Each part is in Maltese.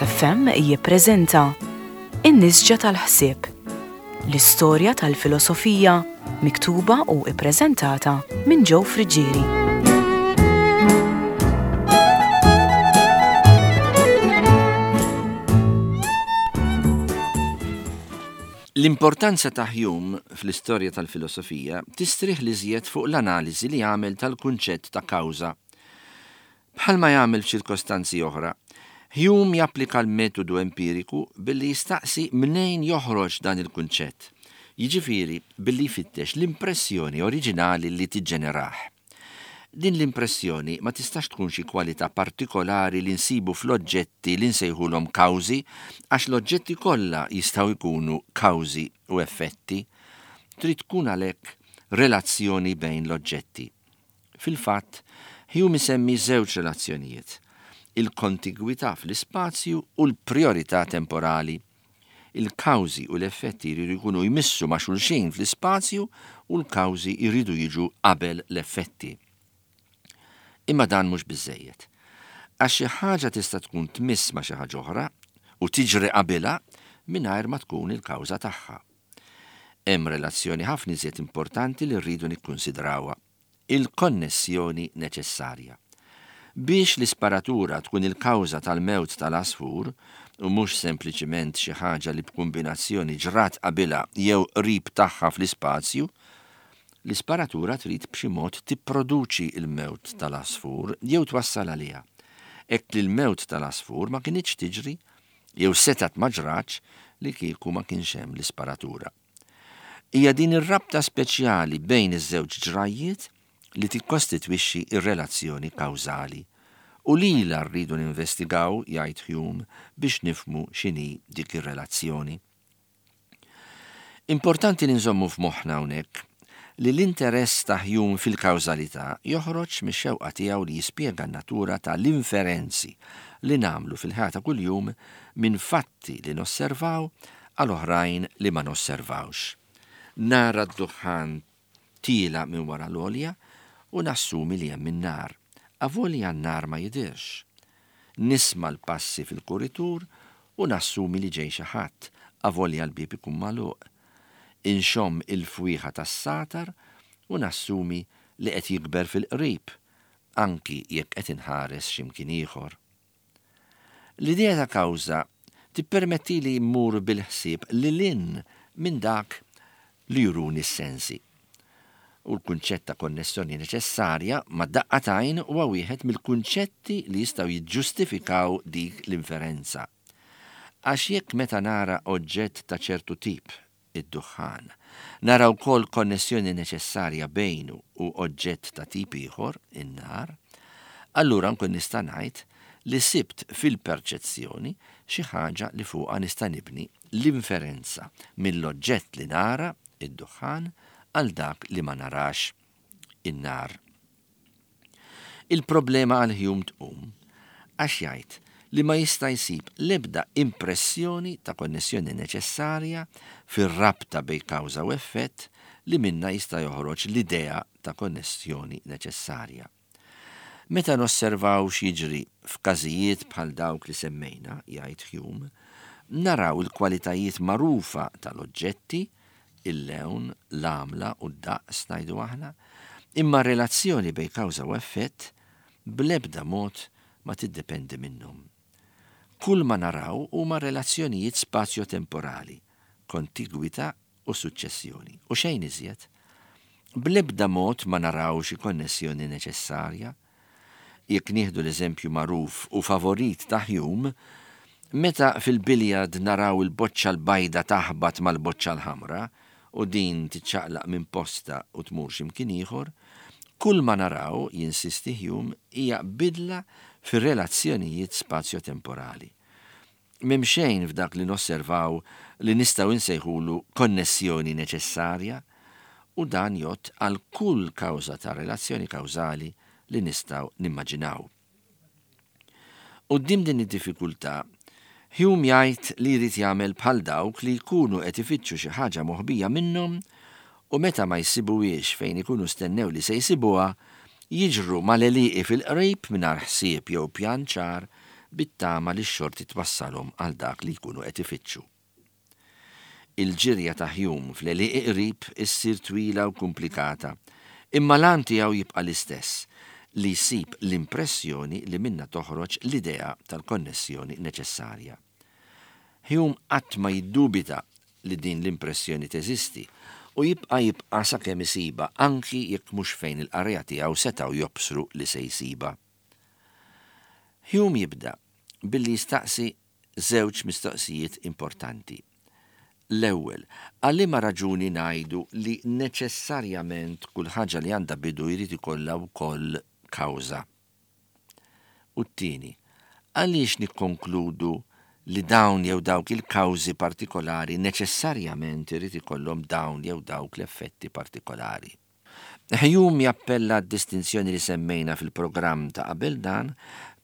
FM jippreżenta In-Nisġa tal-Ħsieb, l-istorja tal-filosofija miktuba u ppreżentata minn Joe Friggieri. L-importanza ta' Hume fl-istorja tal-filosofija tistrieħ l-iżjed fuq l-analiżi li għamel tal-kunċett ta' kawża. Bħalma jagħmel f'ċirkostanzi oħra, Hume japplika l-metodu empiriku billi jistaqsi mnejn joħroġ dan il-kunċett, jiġifieri billi jfittex l-impressjoni oriġinali li tiġġenerah. Din l-impressjoni ma tistax tkun xi kwalità partikolari li nsibu fl-oġġetti li nsejħulhom kawżi għax l-oġġetti kollha jistgħu jkunu kawżi u effetti. Trid tkun għalhekk relazzjoni bejn l-oġġetti. Fil-fatt, Hume isemmi żewġ relazzjonijiet, il-kontigwità fl-ispazju u l-prijorità temporali. Il-kawżi u l-effetti jridu jkunu jmissu ma' xulxin fl-ispazju u l-kawżi jridu jiġu qabel l-effetti. Imma dan mhux biżżejjed. Għax xi ħaġa tista' tkun tmiss ma' xi ħaġa oħra u tiġri qabilha mingħajr ma tkun il-kawża tagħha. Hemm relazzjoni ħafna iżjed importanti li rridu nikkunsidrawha, il-konnessjoni neċessarja. Biex l-isparatura tkun il-kawża tal-mewt tal-għasfur, u mhux sempliċiment xi ħaġa li b'kumbinazzjoni ġrat qabilha jew qrib tagħha fl-ispazju, l-isparatura trid b'xi mod tipproduċi l-mewt tal-għasfur jew twassal għaliha, hekk li l-mewt tal-għasfur ma kinitx tiġri jew setgħet ma ġratx li kieku ma kienx hemm l-isparatura. Hija din ir-rabta speċjali bejn iż-żewġ ġrajjiet li tikkostitwixxi r-relazzjoni kawżali. U lilha rridu ninvestigaw, jgħid Hume, biex nifhmu x'inhi dik ir-relazzjoni. Importanti li nżommu f'moħħna hawnhekk li l-interess ta' Hume fil-kawżalità joħroġ mix-xewqa tiegħu li jispjega n-natura ta' l-inferenzi li nagħmlu fil-ħajja ta' kuljum minn fatti li nosservaw għal oħrajn li ma nosservawx. Nara d-duħħan tiela' minn wara l-għolja u nassumi li hemm in-nar, avolja n-nar ma jidhirx. Nisma' l-passi fil-kuritur u nassumi li ġej xi ħadd, avolja l-bieb ikun magħluq. Inxomm il-fwieħa tas-sagħtar u nassumi li qed jikber fil-qrib, anki jekk qed inħares xi mkien ieħor. L-idea ta' kawża tippermettili mmur bil-ħsieb lil hinn minn dak li juruni s-sensi. U l-kunċett ta' konnessjoni neċessarja ma' daqqa t'għajn huwa wieħed mill-kunċetti li jistgħu jiġġustifikaw dik l-inferenza. Għax jekk meta nara oġġett ta' ċertu tip, id-duħħan. Nara wkoll konnessjoni neċessarja bejnu u oġġett ta' tip ieħor, in-nar. Allura nkun nista' ngħid li sibt fil-perċezzjoni xi ħaġa li fuqha nista' nibni l-inferenza mill-oġġett li nara, id-duħħan, għal dak li ma narax, in-nar. Il-problema għal Hume tqum għax jgħid li ma jista' jsib l-ebda impressjoni ta' konnessjoni neċessarja fir-rabta bejn kawża u effett li minnha jista' joħroġ l-idea ta' konnessjoni neċessarja. Meta nosservaw x'jiġri f'każijiet bħal dawk li semmejna, jgħid Hume, naraw il-kwalitajiet magħrufa tal-oġġetti, il-lewn, l-għamla u d-daqs, ngħidu aħna, imma r-relazzjoni bejn kawża u effett bl-ebda mod ma tiddependi minnhom. Kull ma naraw huma relazzjonijiet spazjo-temporali, kontigwità u suċċessjoni, u xejn iżjed. Bl-ebda mod ma naraw xi konnessjoni neċessarja. Jekk nieħdu l-eżempju magħruf u favorit ta' Hume, meta fil-billiard naraw il-boċċa l-bajda taħbat mal-boċċa l-ħamra u din tiċċaqlaq minn postha u tmur xi mkien ieħor, kull ma naraw, jinsisti Hume, hija bidla fir-relazzjonijiet spazjo-temporali. M'hemm xejn f'dak li nosservaw li nistgħu nsejħulu konnessjoni neċessarja, u dan jgħodd għal kull kawża ta' relazzjoni kawżali li nistgħu nimmaġinaw. Quddiem din id-diffikultà, Hume jgħid li jrid jagħmel bħal dawk li jkunu qed ifittxu xi ħaġa moħbija minnhom u meta ma jsibuhiex fejn ikunu stennew li se jsibuha, jiġru mal-għelieqi fil-qrib mingħajr ħsieb jew pjan ċar bit-tama li x-xorti twassalhom għal dak li jkunu qed ifittxu. Il-ġirja ta' Hume fl-għelieqi qrib issir twila u kumplikata, imma l-għan tiegħu jibqa' l-istess, li jsib l-impressjoni li minnha toħroġ l-idea tal-konnessjoni neċessarja. Hume qatt ma jiddubita li din l-impressjoni teżisti u jibqa' jibqa' sakemm isibha anki jekk mhux fejn il-qarrejja tiegħu setgħu jobsru li se jsibha. Hume jibda billi jistaqsi żewġ mistoqsijiet importanti. L-ewwel, għal liema raġuni ngħidu li neċessarjament kull ħaġa li għandha bidu jrid ikollha wkoll kawża? U t-tieni, għaliex nikkonkludu li dawn jew dawk il-kawżi partikolari neċessarjament irid ikollhom dawn jew dawk l-effetti partikolari? Hume jappella għad-distinzjoni li semmejna fil-programm ta' qabel dan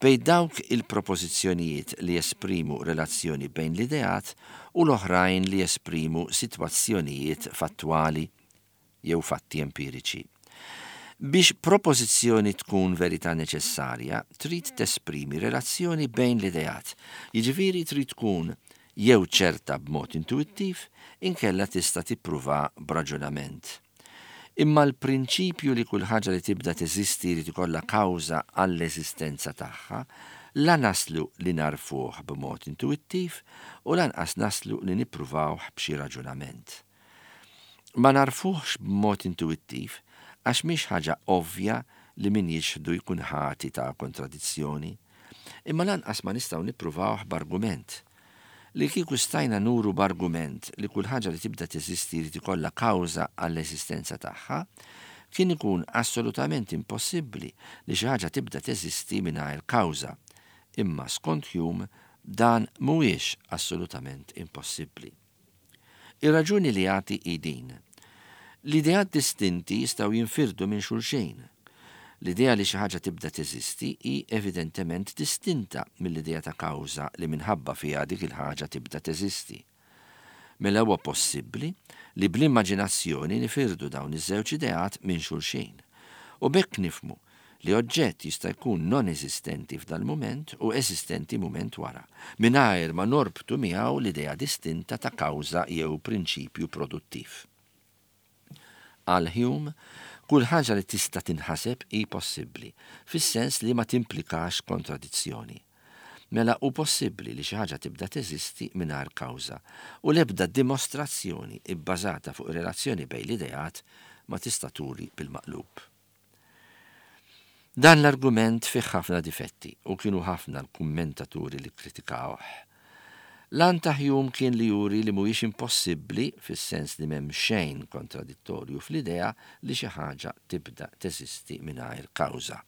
bejn dawk il-propożizzjonijiet li jesprimu relazzjoni bejn l-ideat u l-oħrajn li jesprimu sitwazzjonijiet fattwali jew fatti empiriċi. Biex propożizzjoni tkun verità neċessarja, trid tesprimi relazzjoni bejn l-ideat, jiġifieri trid tkun jew ċerta b'mod intuwittiv inkella tista' tippruvha b'raġunament. Imma l-prinċipju li kull ħaġa li tibda teżisti jrid ikollha kawża għall-eżistenza tagħha, la naslu li nagħrfuh b'mod intuwittiv u lanqas naslu li nippruvawh b'xi raġunament. Ma nagħrfuhx b'mod intuwittiv għax mhix ħaġa ovvja li min jiċħdu jkun ħati ta' kontradizzjoni. Imma lanqas ma nistgħu nippruvawh b'argument. Li kieku stajna nuru b'argument li kull ħaġa li tibda teżisti jrid ikollha kawża għall-eżistenza tagħha, kien ikun assolutament impossibbli li xi ħaġa tibda teżisti mingħajr kawża. Imma skont Hume dan mhuwiex assolutament impossibbli. Ir-raġuni li jagħti hi din. L-ideat distinti jistgħu jinfirdu minn xulxin. L-idea li xi ħaġa tibda teżisti hi evidentement distinta mill-idea ta' kawża li minħabba fiha dik il-ħaġa tibda teżisti. Mela huwa possibbli li bl-immaġinazzjoni nifirdu dawn iż-żewġ ideat minn xulxin. U b'hekk nifhmu li oġġett jista' jkun non-eżistenti f'dal-mument u eżistenti mument wara, mingħajr ma norbtu miegħu l-idea distinta ta' kawża jew prinċipju produttiv. Għal Hume, kull ħaġa li tista' tinħaseb hi possibbli, fis-sens li ma timplikax kontradizzjoni. Mela hu possibbli li xi ħaġa tibda teżisti mingħajr kawża, u l-ebda dimostrazzjoni bbażata fuq ir-relazzjoni bejn l-ideat ma tista' turi bil-maqlub. Dan l-argument fih ħafna difetti u kienu ħafna l-kummentaturi li kkritikawh. L-għan ta' Hume kien li juri li mhuwiex impossibbli, fis-sens li m'hemm xejn kontradittorju fl-idea li xi ħaġa tibda teżisti mingħajr kawża.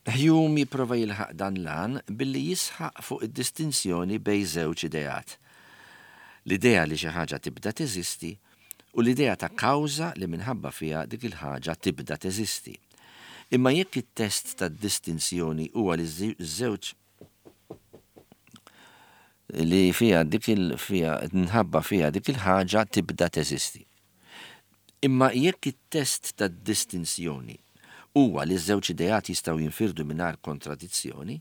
Hume jipprova jilħaq dan l-għan billi jisħaq fuq id-distinzjoni bejn żewġ ideat, l-idea li xi ħaġa tibda teżisti u l-idea ta' kawża li minħabba fiha dik il-ħaġa tibda teżisti. Imma jekk it-test tad-distinzjoni huwa li ż-żewġ li fiha dik il fiha minħabba fiha dik il-ħaġa tibda teżisti. Imma jekk it-test tad-distinzjoni huwa li ż-żewġ ideat jistgħu jinfirdu mingħajr kontradizzjoni,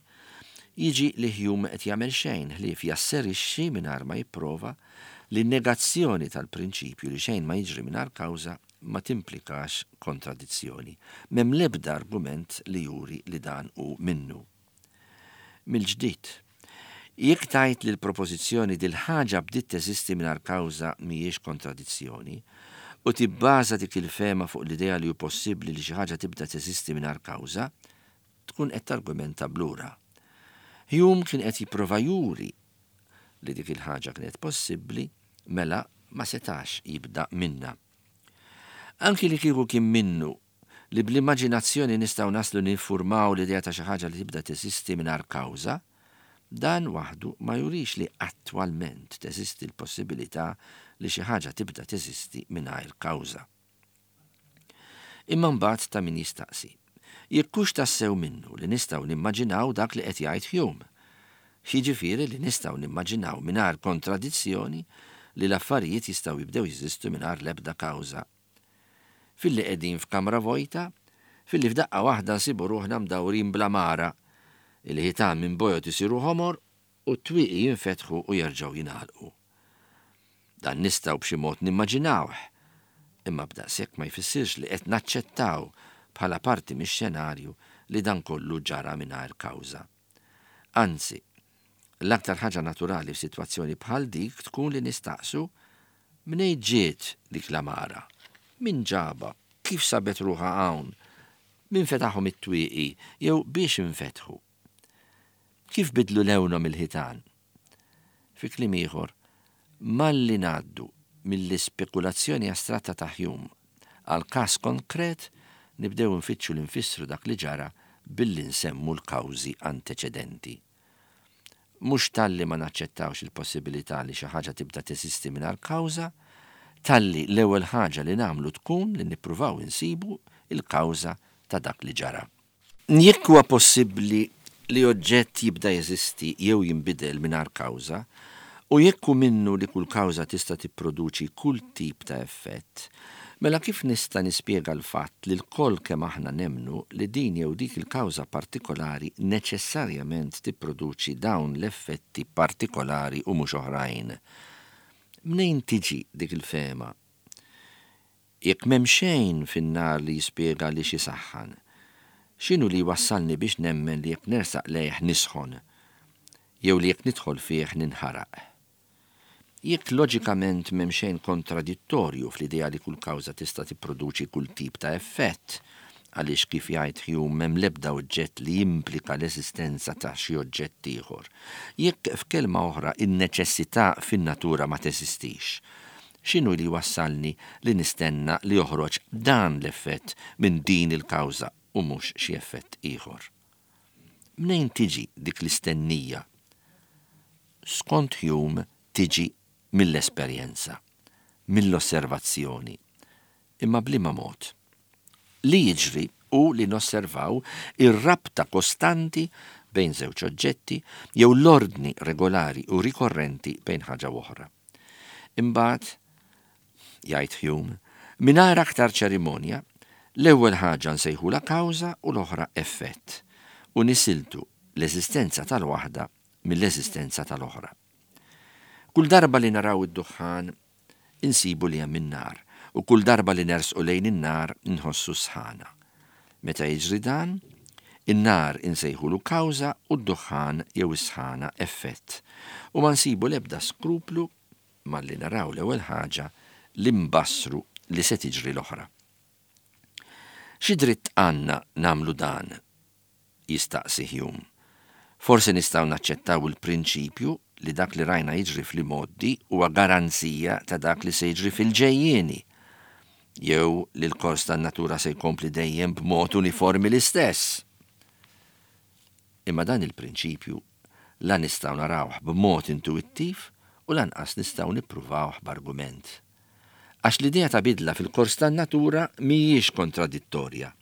jiġi li Hume qed jagħmel xejn ħlief jasserixxi mingħajr ma jipprova li n-negazzjoni tal-prinċipju li xejn ma jiġri mingħajr kawża ma timplikax kontradizzjoni. M'hemm l-ebda argument li juri li dan hu minnu. Mill-ġdid, jekk tgħid li l-propożizzjoni dil-ħaġa bdiet teżisti mingħajr kawża mhijiex kontradizzjoni, u tibbaża dik il-fehma fuq l-idea li hu possibbli li xi ħaġa tibda teżisti mingħajr kawża, tkun qed targumenta b'lura. Hume kien qed jipprova juri li dik il-ħaġa kienet possibbli, mela ma setax jibda minnha. Anki li kieku kien minnu li bl-immaġinazzjoni nistgħu naslu niffurmaw l-idea ta' xi ħaġa li tibda teżisti mingħajr kawża, dan waħdu ma jurix li attwalment teżisti l-possibilità li xi ħaġa tibda teżisti mingħajr kawża. Imma mbagħad ta' min jistaqsi, jekk hux tassew minnu li nistgħu nimmaġinaw dak li qed jgħid Hume, jiġifieri li nistgħu nimmaġinaw mingħajr kontradizzjoni li l-affarijiet jistgħu jibdew jeżistu mingħajr l-ebda kawża. Filli qegħdin f'kamra vojta, filli f'daqqa waħda nsibu ruħna mdawrin bl-għamara. Il-ħitan minn bojod isiru ħomor u t-twieqi jinfetħu u jerġgħu jingħalqu. Dan nistgħu b'xi mod nimmaġinawh, imma b'daqshekk ma jfissirx li qed naċċettaw bħala parti mix-xenarju li dan kollu ġara mingħajr kawża. Anzi, l-aktar ħaġa naturali f'sitwazzjoni bħal dik tkun li nistaqsu, Mnejn ġiet dik l-għamara? Min ġabha? Kif sabet ruħha hawn? Min fetaħhom it-twieqi jew biex infetħu? Kif bidlu lewnhom il-ħitan? Fi kliem ieħor, malli ngħaddu mill-ispekulazzjoni astratta ta' Hume għal każ konkret, nibdew infittxu li nfissru dak li ġara billi nsemmu l-kawżi anteċedenti. Mhux talli ma naċċettawx il-possibilità li xi ħaġa tibda teżisti mingħajr kawża, talli l-ewwel ħaġa li nagħmlu tkun li nippruvaw insibu l-kawża ta' dak li ġara. Jekk huwa possibbli li oġġett jibda jeżisti jew jinbidel mingħajr kawża, u jekk hu minnu li kull kawża tista' tipproduċi kull tip ta' effett, mela kif nista' nispjega l-fatt li lkoll kemm aħna nemmnu li din jew dik il-kawża partikolari neċessarjament tipproduċi dawn l-effetti partikolari u mhux oħrajn? Mnejn tiġi dik il-fehma? Jekk m'hemm xejn fin-nar li jispjega għaliex isaħħan, x'inhu li jwassalni biex nemmen li jekk nersaq lejh nisħon, jew li jekk nidħol fih ninħaraq? Jekk loġikament m'hemm xejn kontradittorju fl-idea li kull kawża tista' tipproduċi kull tip ta' effett, għaliex kif jgħid Hume m'hemm l-ebda oġġett li jimplika l-eżistenza ta' xi oġġett ieħor, jekk f'kelma oħra in-neċessità fin-natura ma teżistix, X'inhu li jwassalni li nistenna li joħroġ dan l-effett minn din il-kawża u mhux xi effett ieħor? Mnejn tiġi dik l-istennija? Skont Hume tiġi mill-esperjenza, mill-osservazzjoni. Imma b'liema mod? Li jiġri hu li nosservaw ir-rabta kostanti bejn żewġ oġġetti jew l-ordni regolari u rikorrenti bejn ħaġa u oħra. Imbagħad, jgħid Hume, mingħajr aktar ċerimonja, l-ewwel ħaġa nsejħulha kawża u l-oħra effett, u nisiltu l-eżistenza tal-waħda mill-eżistenza tal-oħra. Kull darba li naraw id-duħħan, insibu li hemm in-nar, u kull darba li nersqu lejn in-nar inħossu s-sħana. Meta jiġri dan, in-nar insejħulu kawża u d-duħħan jew is-sħana effett, u ma nsibu l-ebda skruplu malli naraw l-ewwel ħaġa li nbassru li se tiġri l-oħra. Xi dritt għandna nagħmlu dan? jistaqsi Hume. Forsi nistgħu naċċettaw il-prinċipju li dak li rajna jiġri fl-imgħoddi huwa garanzija ta' dak li se jiġri fil-ġejjieni, jew li l-kors tan-natura se jkompli dejjem b'mod uniformi l-istess. Imma dan il-prinċipju la nistgħu narawh b'mod intuwittiv u lanqas nistgħu nippruvawh b'argument. Għax l-idea ta' bidla fil-kors tan-natura mhijiex kontradittorja.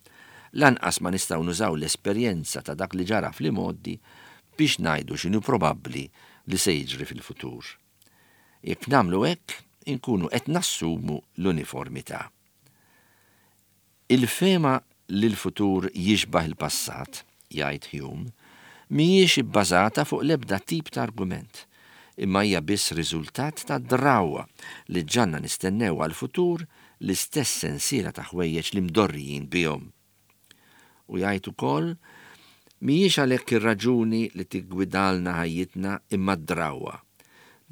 Lanqas ma nistgħu nużaw l-esperjenza ta' dak li ġara fl-imgħoddi biex ngħidu x'inhu probabbli li se jiġri fil-futur. Jekk nagħmlu hekk, inkunu qed nassumu l-uniformità. Il-fehma li l-futur jixbah il-passat, jgħid Hume, mhijiex ibbażata fuq l-ebda tip ta' argument, imma hija biss riżultat ta' drawwa li ġġagħalna nistennew għall-futur l-istess sensiela ta' ħwejjeġ li mdorrijin bihom. U jgħid ukoll, Mhijiex għalhekk ir-raġuni li tiggwidalna ħajjitna imma d-drawwa.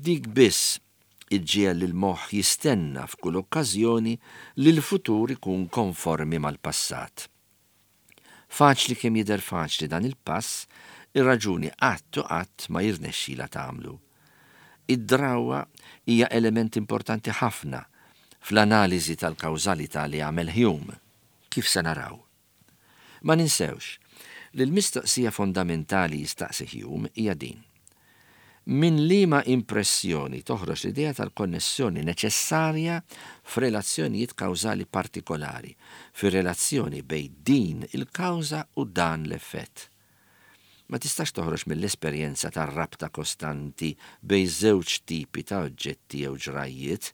Dik biss iġġiegħel lill-moħħ jistenna f'kull okkażjoni li l-futur ikun konformi mal-passat. Faċli kemm jidher faċli dan il-pass, ir-raġuni qatt u qatt ma jirnexxilha tagħmlu. Id-drawwa hija element importanti ħafna fl-analiżi tal-kawżalità li għamel Hume, kif se naraw. Ma ninsewx li l-mistoqsija fondamentali jistaqsi Hume hija din, Minn liema impressjoni toħroġ l-idea tal-konnessjoni neċessarja f'relazzjonijiet kawżali partikolari, fir-relazzjoni bejn din il-kawża u dan l-effett? Ma tistax toħroġ mill-esperjenza tar-rabta kostanti bejn żewġ tipi ta' oġġetti jew ġrajjiet,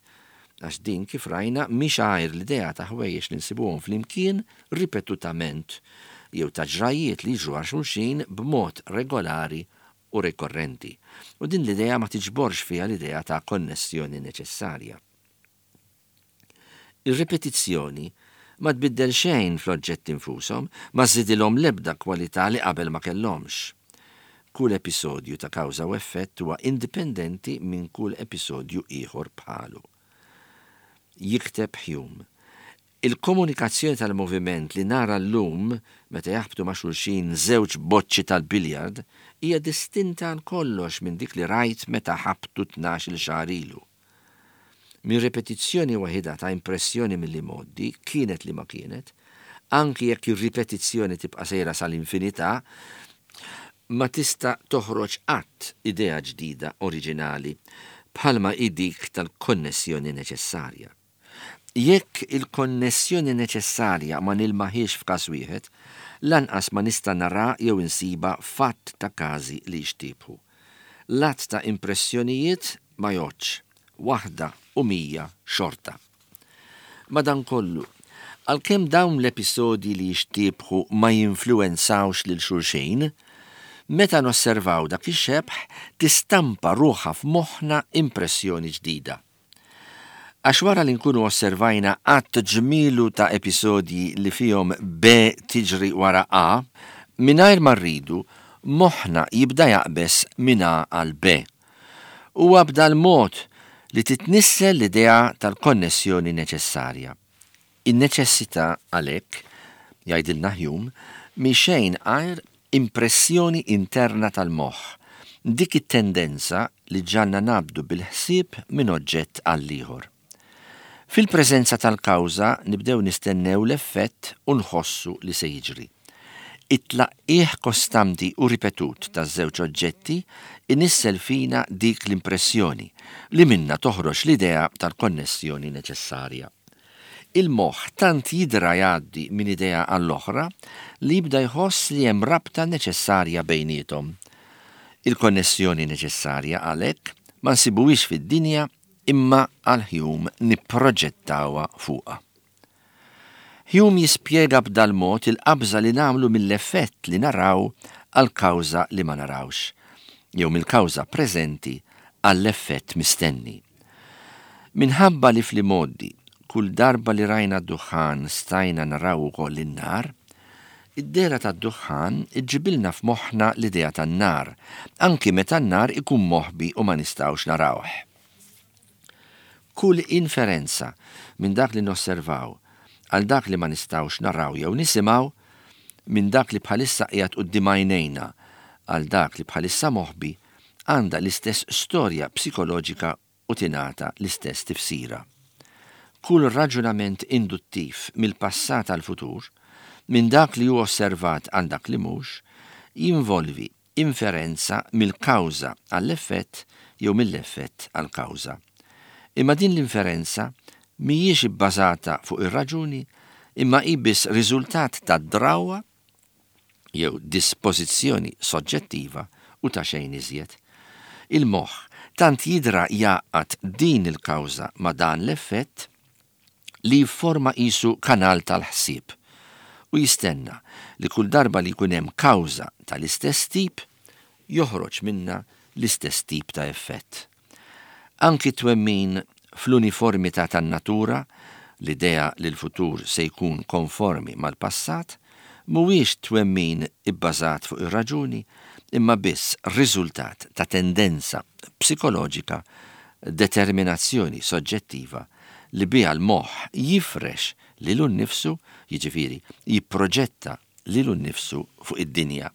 għax din, kif rajna, mhix għajr l-idea ta' ħwejjeġ li nsibuhom flimkien ripetutament. jew ta' ġrajjiet li jiġru għal xulxin b'mod regolari u rikorrenti, u din l-idea ma tiġborx fiha l-idea ta' konnessjoni neċessarja. Ir-ripetizzjoni ma tbiddel xejn fl-oġġetti nfushom, ma żżidilhom l-ebda kwalità li qabel ma kellhomx. Kull episodju ta' kawża u effett huwa indipendenti minn kull episodju ieħor bħalu. Jikteb Hume, Il-komunikazzjoni tal-moviment li nara llum meta jaħbtu ma' xulxin żewġ boċċi tal-billiard hija distinta għal kollox minn dik li rajt meta ħabtu 12-il xahar ilu. Minn ripetizzjoni waħidha ta' impressjoni mill-imgħoddi, kienet liema kienet, anki jekk ir-ripetizzjoni tibqa' sejra sal-infinità, ma tista' toħroġ qatt idea ġdida oriġinali bħalma hi dik tal-konnessjoni neċessarja. Jekk il-konnessjoni neċessarja ma nilmaħiex f'każ wieħed, lanqas ma nista' nara jew insibha f'għadd ta' każi li jixtiebħu. L-għadd ta' impressjonijiet ma jgħoddx, waħda u 100 xorta. Madankollu, għalkemm dawn l-episodji li jixtiebħu ma jinfluwenzawx lil xulxin, meta nosservaw dak ix-xebh tistampa ruħha f'moħħna impressjoni ġdida. Għax wara li nkunu osservajna għadd ġmielu ta' episodji li fihom B tiġri wara A, mingħajr ma rridu, moħħna jibda jaqbeż minn A għal B. Huwa b'dal-mod li titnissel l-idea tal-konnessjoni neċessarja. In-neċessità għalhekk, jgħidilna Hume, mhi xejn għajr impressjoni interna tal-moħħ, dik it-tendenza li ġġagħalna ngħabbdu bil-ħsieb minn oġġett għall-ieħor. Fil-preżenza tal-kawża nibdew nistennew l-effett u nħossu li se jiġri. It-tlaqqigħ kostanti u ripetut taż-żewġ oġġetti inissel fina dik l-impressjoni li minnha toħroġ l-idea tal-konnessjoni neċessarja. Il-moħħ tant jidra jgħaddi minn idea għall-oħra li jibda jħoss li hemm rabta neċessarja bejniethom. Il-konnessjoni neċessarja għalhekk ma nsibuhiex fid-dinja imma għal Hume nipproġettawha fuqha. Hume jispjega b'dal-mod il-qabża li nagħmlu mill-effett li naraw għall-kawża li ma narawx, jew mill-kawża preżenti għall-effett mistenni. Minħabba li fl-imgħoddi kull darba li rajna d-duħħan stajna naraw ukoll in-nar, id-dehra tad-duħħan iġġibilna f'moħħna l-idea tan-nar, anki meta n-nar ikun moħbi u ma nistgħux narawh. Kull inferenza minn dak li nosservaw għal dak li ma nistgħux naraw jew nisimgħu, minn dak li bħalissa qiegħed quddiem għajnejna għal dak li bħalissa moħbi, għandha l-istess storja psikoloġika u tingħata l-istess tifsira. Kull raġunament induttiv mill-passat għall-futur, minn dak li hu osservat għal dak li mhux, jinvolvi inferenza mill-kawża għall-effett jew mill-effett għall-kawża. Imma din l-inferenza mhijiex ibbażata fuq ir-raġuni imma hi biss riżultat tad-drawwa jew dispożizzjoni soġġettiva u ta' xejn iżjed. Il-moħħ tant jidra jgħaqqad din il-kawża ma' dan l-effett li jifforma qisu kanal tal-ħsieb u jistenna li kull darba li jkun hemm kawża tal-istess tip joħroġ minnha l-istess tip ta' effett. Anki t-twemmin fl-uniformità tan-natura, l-idea li l-futur se jkun konformi mal-passat, mhuwiex twemmin ibbażat fuq ir-raġuni imma biss riżultat ta' tendenza psikoloġika, determinazzjoni soġġettiva li biha l-moħħ jifrex lilu nnifsu, jiġifieri jipproġetta lilu nnifsu fuq id-dinja.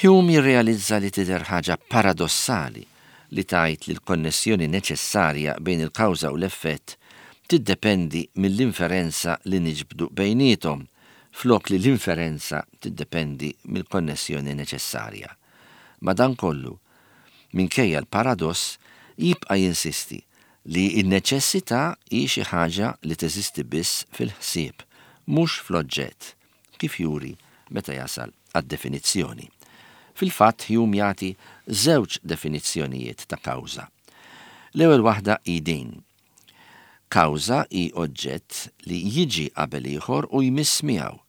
Hume jirrealizza li tidher ħaġa paradossali li tgħid li l-konnessjoni neċessarja bejn il-kawża u l-effett tiddependi mill-inferenza li niġbdu bejniethom flok li l-inferenza tiddependi mill-konnessjoni neċessarja. Madankollu, minkejja l-paradoss, jibqa' jinsisti li n-neċessità hi xi ħaġa li teżisti biss fil-ħsieb, mhux fl-oġġett. kif juri meta jasal għad-definizzjoni. Fil-fatt Hume jagħti żewġ definizzjonijiet ta' kawża. L-ewwel waħda hi din, Kawża hi oġġett li jiġi qabel ieħor u jmiss miegħu.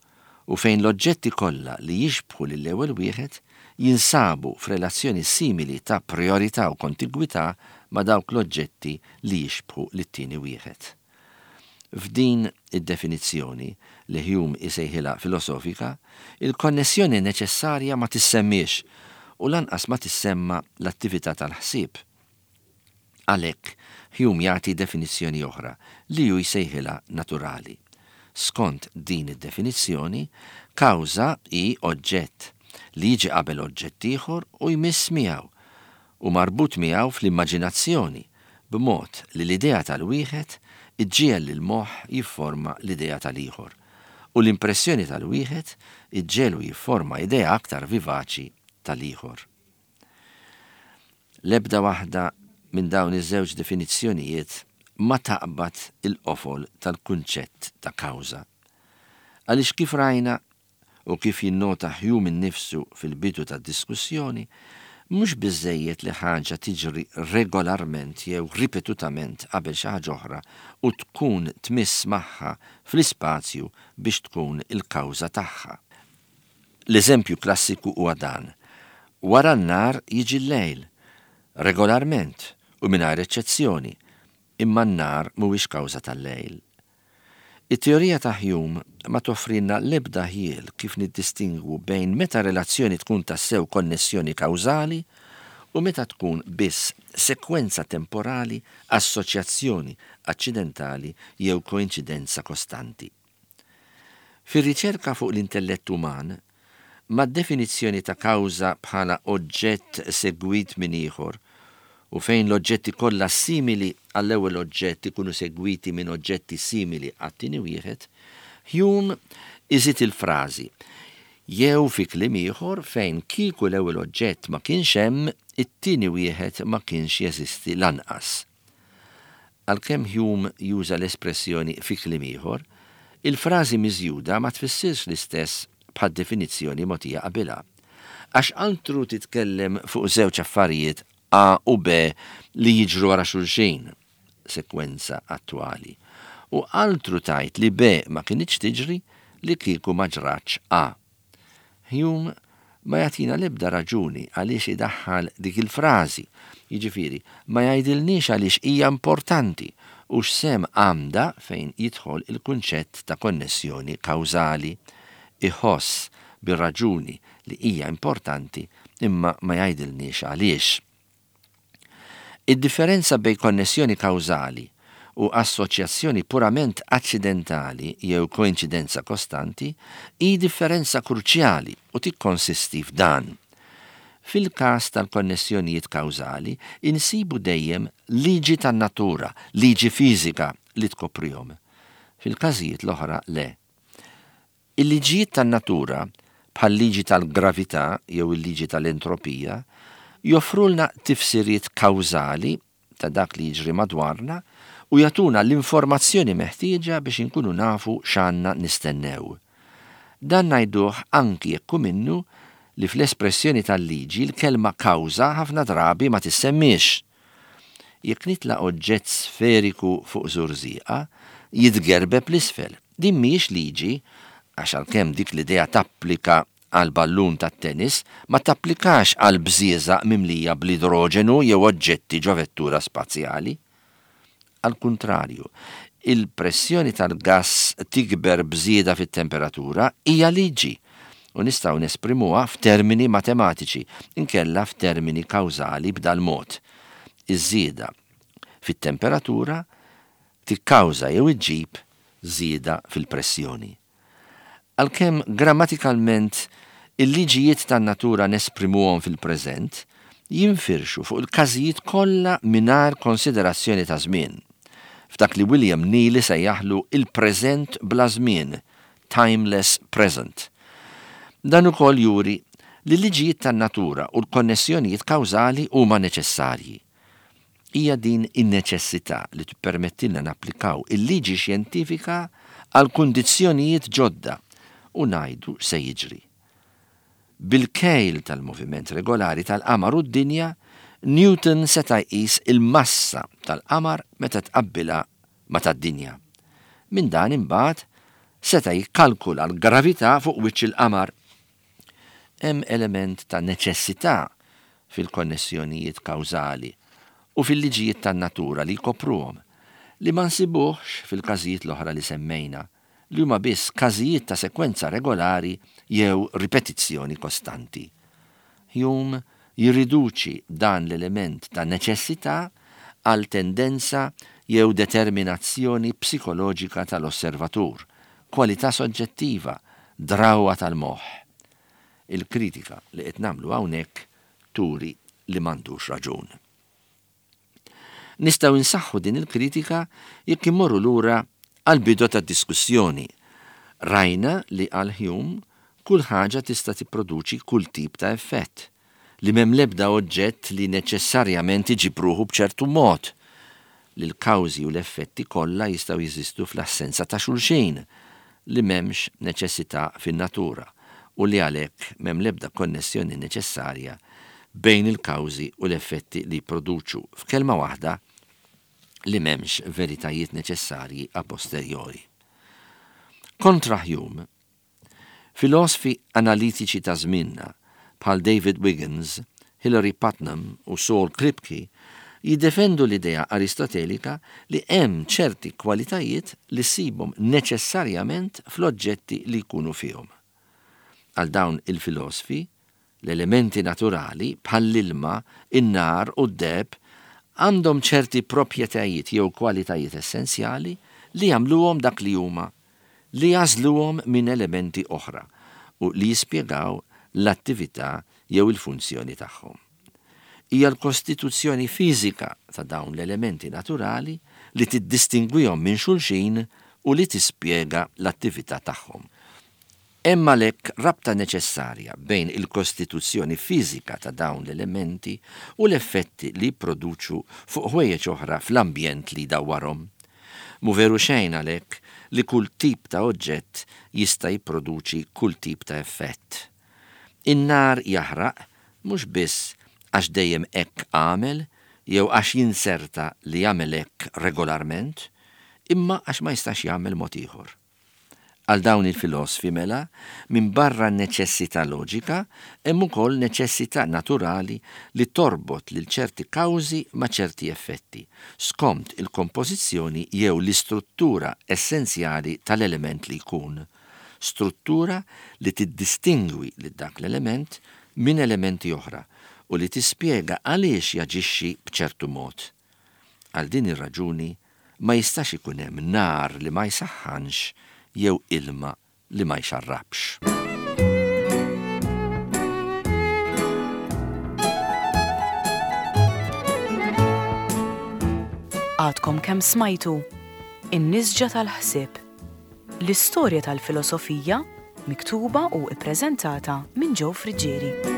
u fejn l-oġġetti kollha li jixbħu lill-ewwel wieħed jinsabu f'relazzjoni simili ta' prijorità u kontigwità ma' dawk l-oġġetti li jixbħu lit-tieni wieħed. F'din id-definizzjoni, li Hume isejħilha filosofika, il-konnessjoni neċessarja ma tissemmiex u lanqas ma tissemma l-attività tal-ħsieb. Għalhekk, Hume jagħti definizzjoni oħra li hu jsejħilha naturali. Skont din id-definizzjoni, kawża hi oġġett li jiġi qabel oġġett ieħor u jmiss miegħu, u marbut miegħu fl-immaġinazzjoni, b'mod li l-idea tal-wieħed iġġiegħel lill-moħħ jifforma l-idea tal-ieħor, u l-impressjoni tal-wieħed iġġegħlu jifforma idea aktar vivaċi tal-ieħor. L-ebda waħda minn dawn iż-żewġ definizzjonijiet ma taqbad il-qofol tal-kunċett ta' kawża. Għaliex kif rajna, u kif jinnota Hume innifsu fil-bidu tad-diskussjoni, mhux biżżejjed li ħaġa tiġri regolarment jew ripetutament qabel xi ħaġa oħra u tkun tmiss magħha fl-ispazju biex tkun il-kawża tagħha. L-eżempju klassiku huwa dan, wara n-nhar jiġi l-lejl, regolarment u mingħajr eċċezzjoni, imma n-nhar mhuwiex kawża tal-lejl. It-teorija ta' Hume ma toffrilna l-ebda ħjiel kif niddistingwu bejn meta relazzjoni tkun tassew konnessjoni kawżali u meta tkun biss sekwenza temporali, assoċjazzjoni aċċidentali jew koinċidenza kostanti. Fir-riċerka fuq l-intellett uman, mad-definizzjoni ta' kawża bħala oġġett segwit minn ieħor u fejn l-oġġetti kollha simili għall-ewwel oġġett ikunu segwiti minn oġġetti simili għat-tieni wieħed, Hume iżid il-frażi, jew fi kliem ieħor fejn kieku l-ewwel oġġett ma kienx hemm, it-tieni wieħed ma kienx jeżisti lanqas. Għalkemm Hume juża l-espressjoni fi kliem ieħor, il-frażi miżjuda ma tfissirx l-istess bħad-definizzjoni mogħtija qabilha. Għax altru titkellem fuq żewġ affarijiet A u B li jiġru wara xulxin, sekwenza attwali, u altru tgħid li B ma kinitx tiġri li kieku ma ġratx A. Hume ma jagħtina l-ebda raġuni għaliex idaħħal dik il-frażi, jiġifieri ma jgħidilniex għaliex hija importanti u x'sehem għandha fejn jidħol il-kunċett ta' konnessjoni kawżali. Iħoss bir-raġuni li hija importanti imma ma jgħidilniex għaliex. Id-differenza bejn konnessjoni kawżali u assoċjazzjoni purament aċċidentali jew koinċidenza kostanti hi differenza kruċjali u tikkonsisti f'dan. Fil-każ tal-konnessjonijiet kawżali insibu dejjem liġi tan-natura, liġi fiżika li tkoprihom. Fil-każijiet l-oħra le. Il-liġijiet tan-natura, bħal-liġi tal-gravità jew il-liġi tal-entropija, joffrulna tifsiriet kawżali ta' dak li jiġri madwarna u jagħtuna l-informazzjoni meħtieġa biex inkunu nafu x'għandna nistennew. Dan ngħiduh anki jekk hu minnu li fl-espressjoni tal-liġi l-kelma kawża ħafna drabi ma tissemmiex. Jekk nitla' oġġett sferiku fuq żurżieqa, jitgerbeb 'l isfel. Din mhijiex liġi, għax għalkemm dik l-idea tapplika għal ballun tat-tennis, ma tapplikax għal bżieżaq mimlija bl-idroġenu jew oġġetti ġo vettura spazjali. Għall-kuntrarju, il-pressjoni tal-gass tikber b'żieda fit-temperatura hija liġi u nistgħu nesprimuha f'termini matematiċi inkella f'termini kawżali b'dal-mod, iż-żieda fit-temperatura tikkawża jew iġġib żieda fil-pressjoni. Għalkemm grammatikalment il-liġijiet tan-natura nesprimuhom fil-preżent, jinfirxu fuq il-każijiet kollha mingħajr konsiderazzjoni ta' żmien, f'dak li William Neal isejjaħlu il-preżent bla żmien, timeless present. Dan ukoll juri li l-liġijiet tan-natura u l-konnessjonijiet kawżali huma neċessarji. Hija din in-neċessità li tippermettilna napplikaw il-liġi xjentifika għal kundizzjonijiet ġodda u ngħidu x'se jiġri. Bil-kejl tal-moviment regolari tal-qamar u d-dinja, Newton seta' jqis il-massa tal-qamar meta tqabbilha ma' tad-dinja. Minn dan imbagħad seta' jikkalkula l-gravità fuq wiċċ il-qamar. Hemm element ta' neċessità fil-konnessjonijiet kawżali u fil-liġijiet tan-natura li jkopruhom, li ma nsibuhx fil-każijiet l-oħra li semmejna, li huma biss każijiet ta' sekwenza regolari jew ripetizzjoni kostanti. Hume jirriduċi dan l-element ta' neċessità għal tendenza jew determinazzjoni psikoloġika tal-osservatur, kwalità soġġettiva, drawwa tal-moħħ. Il-kritika li qed nagħmlu hawnhekk turi li m'għandux raġun. Nistgħu nsaħħu din il-kritika jekk immorru lura għall-bidu tad-diskussjoni. Rajna li għal Hume kull ħaġa tista' tipproduċi kull tip ta' effett, li m'hemm l-ebda oġġett li neċessarjament iġib ruħu b'ċertu mod, li l-kawżi u l-effetti kollha jistgħu jeżistu fl-assenza ta' xulxin, li m'hemmx neċessità fin-natura u li għalhekk m'hemm l-ebda konnessjoni neċessarja bejn il-kawżi u l-effetti li jipproduċu, f'kelma waħda, li m'hemmx veritajiet neċessarji a posteriori. Kontra Hume, Filosfi analitiċi ta' żmienna, bħal David Wiggins, Hilary Putnam u Saul Kripke, jiddefendu l-idea Aristotelika li hemm ċerti kwalitajiet li ssibhom neċessarjament fl-oġġetti li jkunu fihom. Għal dawn il-filosfi, L-elementi naturali, bħall-ilma, in-nar u d-deheb, għandhom ċerti proprjetajiet jew kwalitajiet essenzjali li jagħmluhom dak li huma, li jagħżluhom minn elementi oħra u li jispjegaw l-attività jew il-funzjoni tagħhom. Hija l-kostituzzjoni fiżika ta' dawn l-elementi naturali li tiddistingwihom minn xulxin u li tispjega l-attività tagħhom. Hemm għalhekk rabta neċessarja bejn il-kostituzzjoni fiżika ta' dawn l-elementi u l-effetti li jipproduċu fuq ħwejjeġ oħra fl-ambjent li jdawwarhom. Mhu veru xejn għalhekk li kull tip ta' oġġett jista' jipproduċi kull tip ta' effett. In-nar jaħraq mhux biss għax dejjem hekk għamel jew għax jinzerta li jagħmel hekk regolarment, imma għax ma jistax jagħmel mod ieħor. Għal dawn il-filosfi, mela, minbarra n-neċessità loġika, hemm ukoll neċessità naturali li torbot lil ċerti kawżi ma' ċerti effetti, skont il-kompożizzjoni jew l-istruttura essenzjali tal-element li jkun, struttura li tiddistingwi lil dak l-element minn elementi oħra u li tispjega għaliex jaġixxi b'ċertu mod. Għal din ir-raġuni, ma jistax ikun hemm nar li ma jsaħħanx jew ilma li ma jxarrabx. Għadkom kemm smajtu In-Nisġa tal-Ħsieb, l-istorja tal-filosofija miktuba u ppreżentata minn Joe Friggieri.